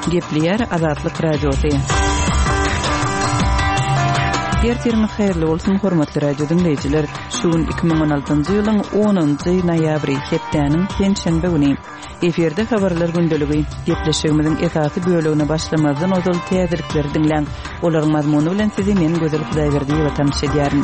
Gepleýär Azatlyk Radiosy. Ertiriňiz haýyrly bolsun, hormatly radio diňleýjiler! Şu gün 2016-njy ýylyň onunjy noýabry, hepdäniň penşenbe güni. Efirde Habarlar gündeligi. Gepleşigimiziň esasy bölegine başlamazdan ozal täzelikleri diňläň. Olaryň mazmuny bilen sizi men Gözel Hudaýberdiýewa tanyş edýärin.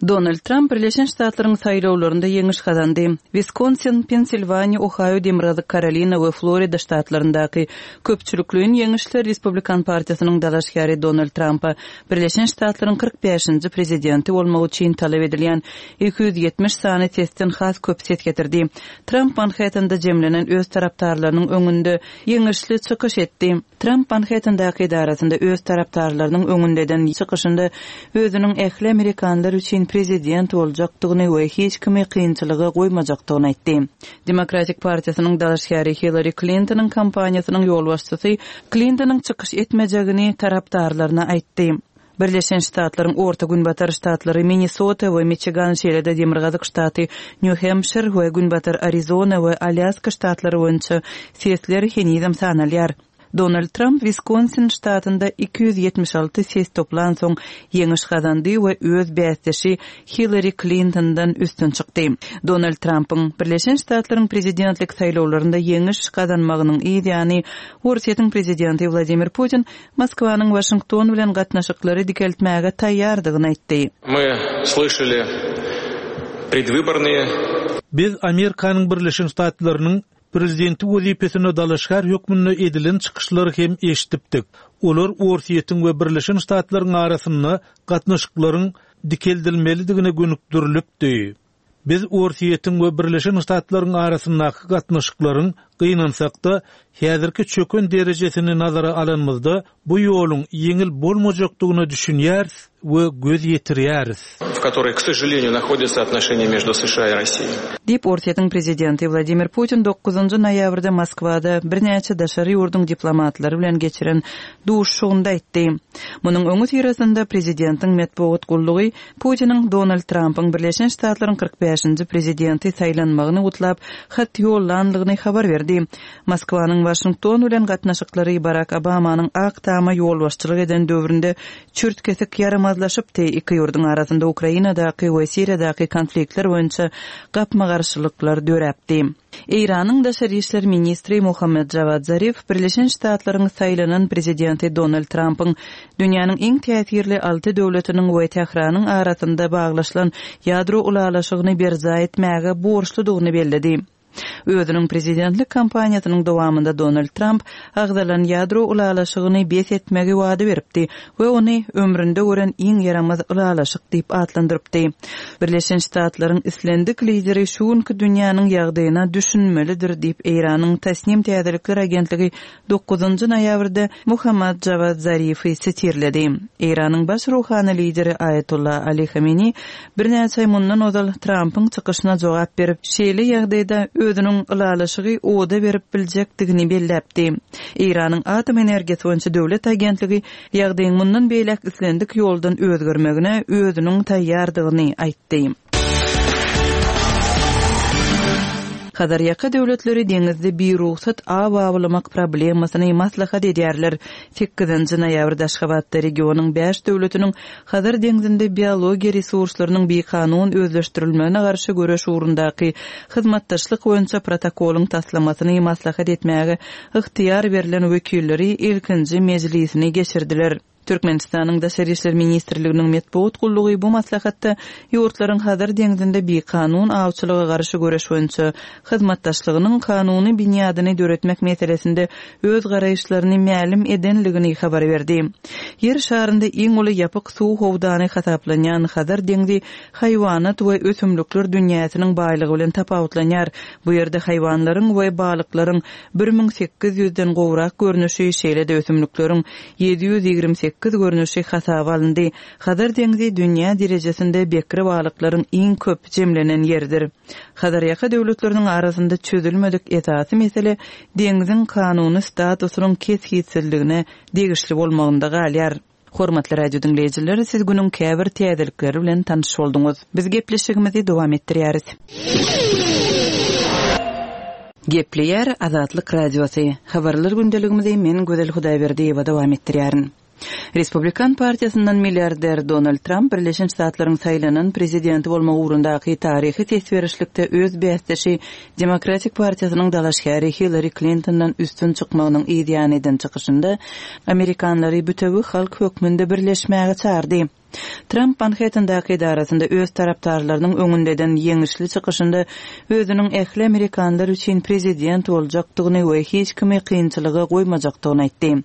Donald Tramp Birleşen Ştatlaryň saýlawlarynda ýeňiş gazandy. Wiskonsin, Pensilwaniýa, Ohaýo, Demirgazyk Karolina we Florida ştatlaryndaky köpçülikleýin ýeňişler Respublikan partiýasynyň dalaşgäri Donald Trampa Birleşen Ştatlaryň 45-nji prezidenti bolmagy üçin talap edilýän 270 sany sesden has köp ses getirdi. Tramp Manhettende jemlenen öz tarapdarlarynyň öňünde ýeňişli çykyş etdi. Tramp Manhettendaky edarasynda öz tarapdarlarynyň öňünde eden çykyşynda özüniň ähli amerikanlar üçin prezident boljakdygyny we hiç kimi kynçylyga goýmajakdygyny aýtdy. Demokratik partiýasynyň dalaşgäri Hillari Klintonyň kampaniýasynyň ýolbaşçysy Klintonyň çykyş etmejegini tarapdarlaryna aýtdy. Birleşen Ştatlaryň Orta Günbatar ştatlary Minnesota we Miçigan, şeýle-de demirgazyk ştaty Nýu-Hempşir we Günbatar Arizona we Alýaska ştatlary boýunça sesler henizem sanalýar. Donald Tramp Wiskonsin ştatynda 276 ses toplansoň ýeňiş gazandy we öz bäsdeşi Hillari Klintondan üstün çykdy. Donald Trampyň Birleşen Ştatlaryň prezidentlik saýlawlarynda ýeňiş gazanmagynyň yz ýany Orsýetiň prezidenti Wladimir Putin Moskwanyň Waşington bilen gatnaşyklary dikeltmäge taýýardygyny aýtdy. My slyşali predwybornyýe. Biz Amerikanyň Birleşen Ştatlarynyň Prezidenti wezipesine dalaşgär hökmünde edilen çykyşlary hem eşidipdik. Olar Orsýetiň we Birleşen Ştatlaryň arasynda gatnaşyklaryň dikeldilmelidigine gönükdirilipdi. Biz Orsýetiň we Birleşen Ştatlaryň arasyndaky gatnaşyklaryň, gynansak-da, häzirki çöken derejesini nazara alanymyzda, bu ýoluň ýeňil bolmajakdygyna düşünýäris we göz ýetirýäris. W kotoroý, k sožaleniýu, nahodýatsa otnoşeniýa meždu США i Rossiýi. Diýip, Orsýetiň prezidenti Wladimir Putin dokuzynjy noýabrda Moskwada birnäçe daşary ýurduň diplomatlary bilen geçiren duşuşygynda aýtdy. Munuň öňüsyrasynda prezidentiň metbugat gullugy Putiniň Donald Trampyň Birleşen Ştatlaryň 45-nji prezidenti saýlanmagyny gutlap, hat ýollandygyny habar berdi. Moskwanyň Waşington bilen gatnaşyklary Barak Obamanyň Ak Tama ýolbaşçylyk eden döwründe çürt-kesik ýaramazlaşypdy, iki ýurduň arasynda Ukrainadaky we Siriýadaky konfliktler boýunça gapma-garşylyklar döräpdi. Eýranyň daşary işler ministri Mohammad Jawad Zarif Birleşen Ştatlaryň saýlanan prezidenti Donald Trampyň dünýäniň iň täsirli alty döwletiniň we Tähranyň arasynda baglaşylan ýadro ylalaşygyny berjaý etmäge borçludygyny belledi. Özüniň prezidentlik kampaniýasynyň dowamynda Donald Tramp agzalan ýadro ylalaşygyny bes etmegi wada beripdi we ony ömründe gören iň ýaramaz ylalaşyk diýip atlandyrypdy. Birleşen Ştatlaryň islendik lideri şu günki dünýäniň ýagdaýyna düşünmelidir diýip, Eýranyň Tasnim täzelikler agentligi Dokuzynjy noýabrda Mohammad Jawad Zarifi sitirledi. Eýranyň baş ruhany lideri Aýatolla Ali Hameni birnäçe aý mundan ozal Trampyň çykyşyna jogap berip, şeýle ýagdaýda özüniň ylalaşygy oda berip biljekdigini belläpdi. Eýranyň Atom energiýasy boýunça döwlet agentligi ýagdaýyň mundan beýläk islendik ýoldan özgermegine özüniň taýýardygyny aýtdy. Hazarýaka döwletleri deňizde birugsat aw awlamak problemasyny maslahat edýärler. Sekizinji noýabrda Aşgabatda regionyň bäş döwletiniň Hazar deňzinde biologiýa resurslarynyň bikanun özleşdirilmegine garşy göreş ugrundaky hyzmatdaşlyk boýunça protokolyň taslamasyny maslahat etmäge ygtyýar berlen wekilleri ilkinji mejlisini geçirdiler. Türkmenistanyň Daşary işler ministrliginiň metbugat gullugy bu maslahatda ýurtlaryň Hazar deňzinde bikanun awçylyga garşy göreş boýunça hyzmatdaşlygynyň kanuny binýadyny döretmek meselesinde öz garaýyşlaryny mälim edenligini habar berdi. Ýer şarynda iň uly ýapyk suw howdany hasaplanýan Hazar deňzi haýwanat we ösümlikler dünýäsiniň baýlygy bilen tapawutlanýar. Bu ýerde haýwanlaryň we balyklaryň 1800-den gowrak görnüşi, şeýle-de ösümlikleriň 728 görnüşi hasaba alyndy. Hazar deňzi dünýä derejesinde bekre balyklaryň iň köp jemlenen ýeridir. Hazarýaka döwletleriniň arasynda çözülmedik esasy mesele deňziň kanuny statusynyň kesgitsizligine degişli bolmagynda galýar. Hormatly radio diňleýjiler, siz günüň käbir täzelikleri bilen tanyş bolduňyz. Biz gepleşigimizi dowam etdirýäris. Gepleýär Azatlyk Radiosy, Habarlar gündeligimizi men Gözel Hudaýberdiýewa dowam etdirýärin. Respublikan partiýasyndan milliarder Donald Tramp Birleşen Ştatlaryň saýlanan prezidenti bolmak ugrundaky taryhy ses berişlikde öz bäsdeşi Demokratik partiýasynyň dalaşgäri Hillari Klintondan üstün çykmagynyň yz ýany eden çykyşynda amerikanlary bütewi halk hökmünde birleşmäge çagyrdy. Tramp Manhettendaky edarasynda öz tarapdarlarynyň öňünde eden ýeňişli çykyşynda özüniň ähli amerikanlar üçin prezident boljakdygyny we hiç kimi kynçylyga goýmajakdygyny aýtdy.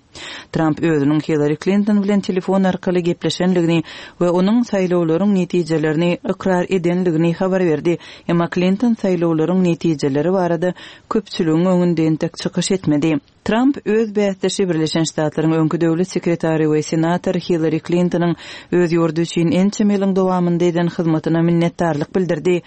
Tramp özüniň Hillari Klinton bilen telefon arkaly gepleşendigini we onuň saýlawlaryň netijelerini ykrar edendigini habar berdi, emma Klinton saýlawlaryň netijeleri barada köpçüligiň öňünde entek çykyş etmedi. Tramp öz bäsdeşi Birleşen Ştatlaryň öňki döwlet sekretary we senator Hillari Klintonyň öz ýurdy üçin ençeme ýylyň dowamynda eden hyzmatyna minnetdarlyk bildirdi.